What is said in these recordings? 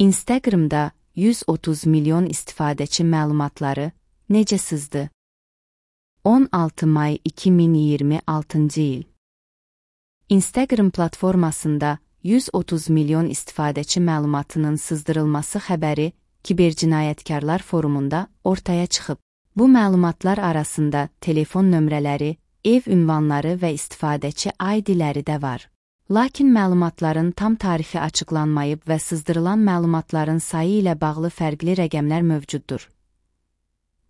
Instagramda 130 milyon istifadəçi məlumatları necə sızdı? 16 may 2026 il. Instagram platformasında 130 milyon istifadəçi məlumatının sızdırılması xəbəri Kibercinayətkarlar forumunda ortaya çıxıb. Bu məlumatlar arasında telefon nömrələri, ev ünvanları və istifadəçi ID-ləri də var. Lakin məlumatların tam tarixi açıqlanmayıb və sızdırılan məlumatların sayı ilə bağlı fərqli rəqəmlər mövcuddur.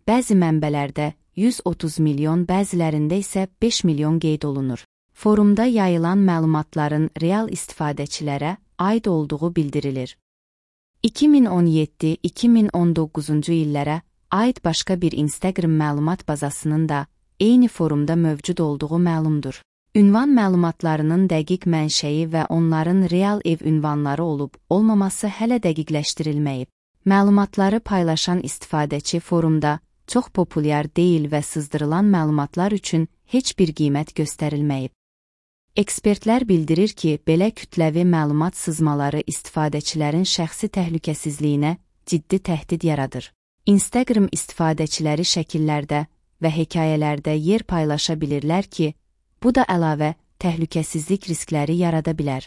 Bəzi mənbələrdə 130 milyon, bəzilərində isə 5 milyon qeyd olunur. Forumda yayılan məlumatların real istifadəçilərə aid olduğu bildirilir. 2017-2019-cu illərə aid başqa bir Instagram məlumat bazasının da eyni forumda mövcud olduğu məlumdur. Ünvan məlumatlarının dəqiq mənşəyi və onların real ev ünvanları olub-olmaması hələ dəqiqləşdirilməyib. Məlumatları paylaşan istifadəçi forumda çox populyar deyil və sızdırılan məlumatlar üçün heç bir qiymət göstərilməyib. Ekspertlər bildirir ki, belə kütləvi məlumat sızmaları istifadəçilərin şəxsi təhlükəsizliyinə ciddi təhdid yaradır. Instagram istifadəçiləri şəkillərdə və hekayələrdə yer paylaşa bilirlər ki, bu da əlavə təhlükəsizlik riskləri yarada bilər.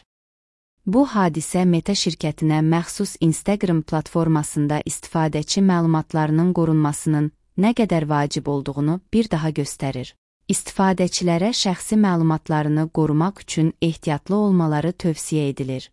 Bu hadisə Meta şirkətinə məxsus Instagram platformasında istifadəçi məlumatlarının qorunmasının nə qədər vacib olduğunu bir daha göstərir. İstifadəçilərə şəxsi məlumatlarını qorumaq üçün ehtiyatlı olmaları tövsiyə edilir.